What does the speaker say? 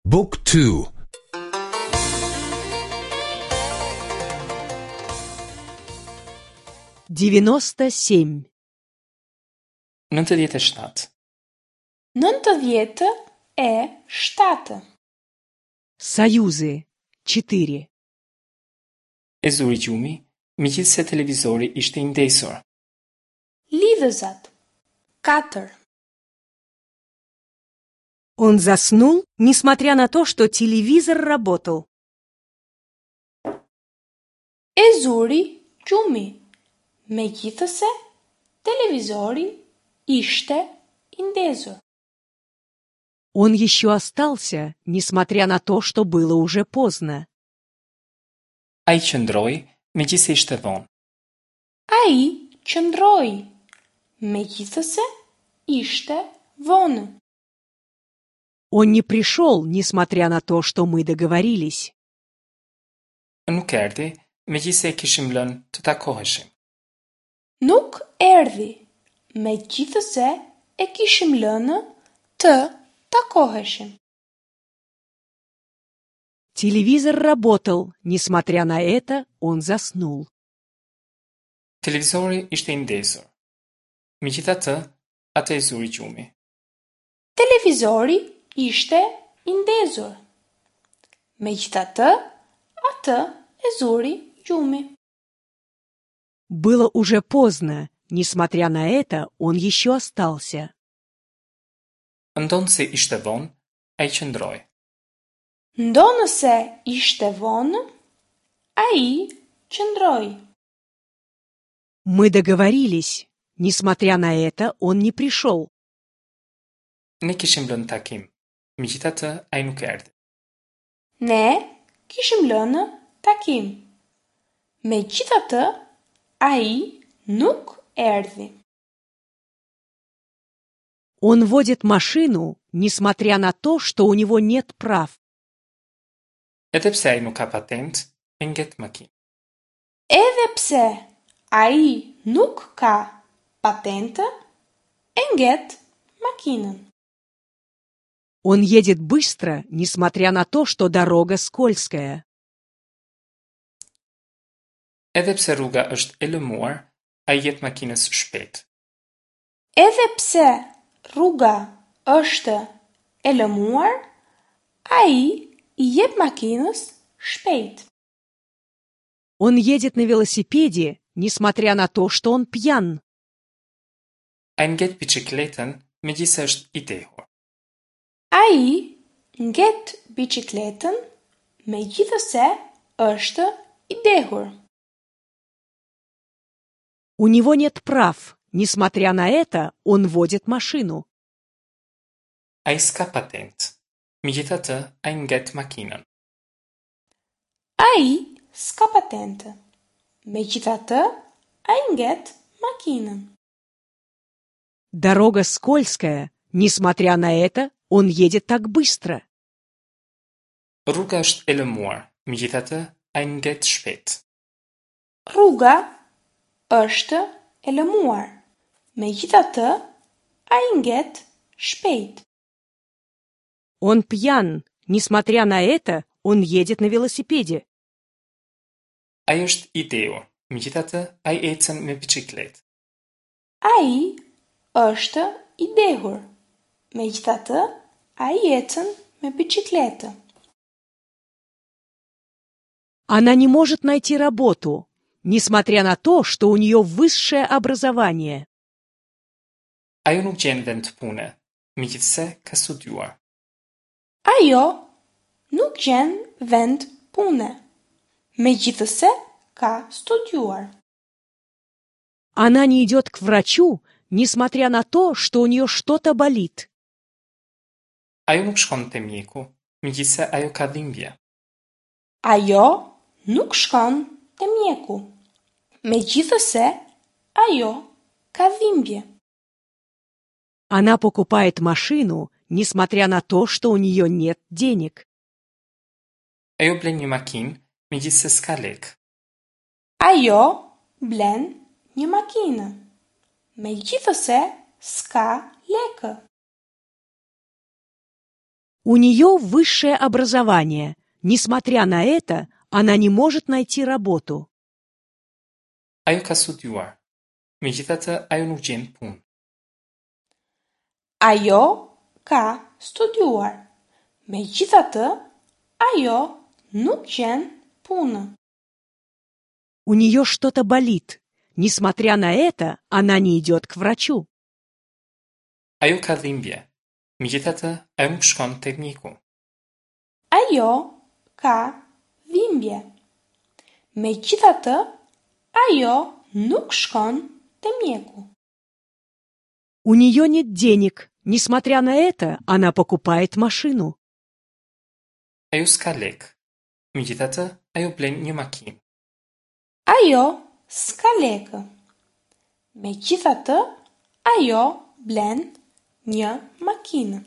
Book 2. 97. 97. 97. Союзы. 4. E zuri gjumi, megjithse televizori ishte I ndesur. Lidhëzat. 4. Он заснул, несмотря на то, что телевизор работал. E zuri gjumi. Megjithëse televizori ishte I ndezur. Он еще остался, несмотря на то, что было уже поздно. Ai qëndroi, megjithse ishte vonë. Ai qëndroi. Megjithëse ishte vonë. Он не пришел, несмотря на то, что мы договорились. Nuk erdhi, megjithse e kishim lënë të takoheshim. Nuk erdhi. Megjithëse e kishim lënë të takoheshim. Телевизор работал, несмотря на это, он заснул. Televizori ishte I ndezur. Megjithatë, atë e zuri gjumi. Televizori ishte I ndezur. Megjithatë, atë e zuri gjumi. Было уже поздно, несмотря на это, он еще остался. Ndonë se ishte vonë, ai qëndroi. Ndonëse ishte vonë, ai qëndroi. Мы договорились. Несмотря на это, он не пришел. Ne kishim lënë takim. Megjithatë, ai nuk erdhi. Ne kishim lënë takim. Megjithatë, ai nuk erdhi. Он водит машину, несмотря на то, что у него нет прав. Edhe pse ai nuk ka patent, e ngjet makinë. Edhe pse ai nuk ka patentë, e ngjet makinën. Он едет быстро, несмотря на то, что дорога скользкая. Edhe pse rruga është e lëmuar, ai jep makinës shpejt. Edhe pse rruga është e lëmuar, ai I jep makinës shpejt. Он едет на велосипеде, несмотря на то, что он пьян. Ai ngjet biçikletën megjithse është I dehur. Ai ngjet biçikletën megjithëse është I dehur. У него нет прав. Несмотря на это, он водит машину. Ai s'ka patent. Megjithatë, ai ngjet makinën. Ai s'ka patentë. Megjithatë, ai ngjet makinën. Дорога скользкая. Несмотря на это, он едет так быстро. Rruga është e lëmuar. Megjithatë, ai ngjet shpejt. Rruga është e lëmuar. Megjithatë, ai ngjet shpejt. Он пьян. Несмотря на это, он едет на велосипеде. Ai është I dehur. Megjithatë, ai ecën me biçikletë. Ai është I dehur. Megjithatë, ai ecën me biçikletë. Она не может найти работу, несмотря на то, что у нее высшее образование. Ajo nuk gjen vend pune, megjithse ka studiuar. Ajo nuk gjen vend pune. Megjithëse ka studiuar. Она не идет к врачу, несмотря на то, что у нее что-то болит. Ajo nuk shkon te mjeku, megjithse ajo ka dhimbje. Ajo nuk shkon te mjeku. Megjithëse ajo ka dhimbje. Она покупает машину, несмотря на то, что у нее нет денег. Ajo blen një makinë, megjithse s'ka lekë. Ajo blen një makinë. Megjithëse s'ka lekë. У нее высшее образование. Несмотря на это, она не может найти работу. Ajo ka studiuar. Megjithatë, ajo nuk gjen punë. Ajo ka studiuar. Megjithatë, ajo nuk gjen punë. У нее что-то болит. Несмотря на это, она не идет к врачу. Ajo ka dhimbje. Megjithatë, ajo nuk shkon tek mjeku. Ajo ka dhimbje. Megjithatë, ajo nuk shkon te mjeku. У нее нет денег. Несмотря на это, она покупает машину. Ajo s'ka lek. Megjithatë, ajo blen një makinë. Ajo s'ka lekë. Megjithatë, ajo blen një makinë.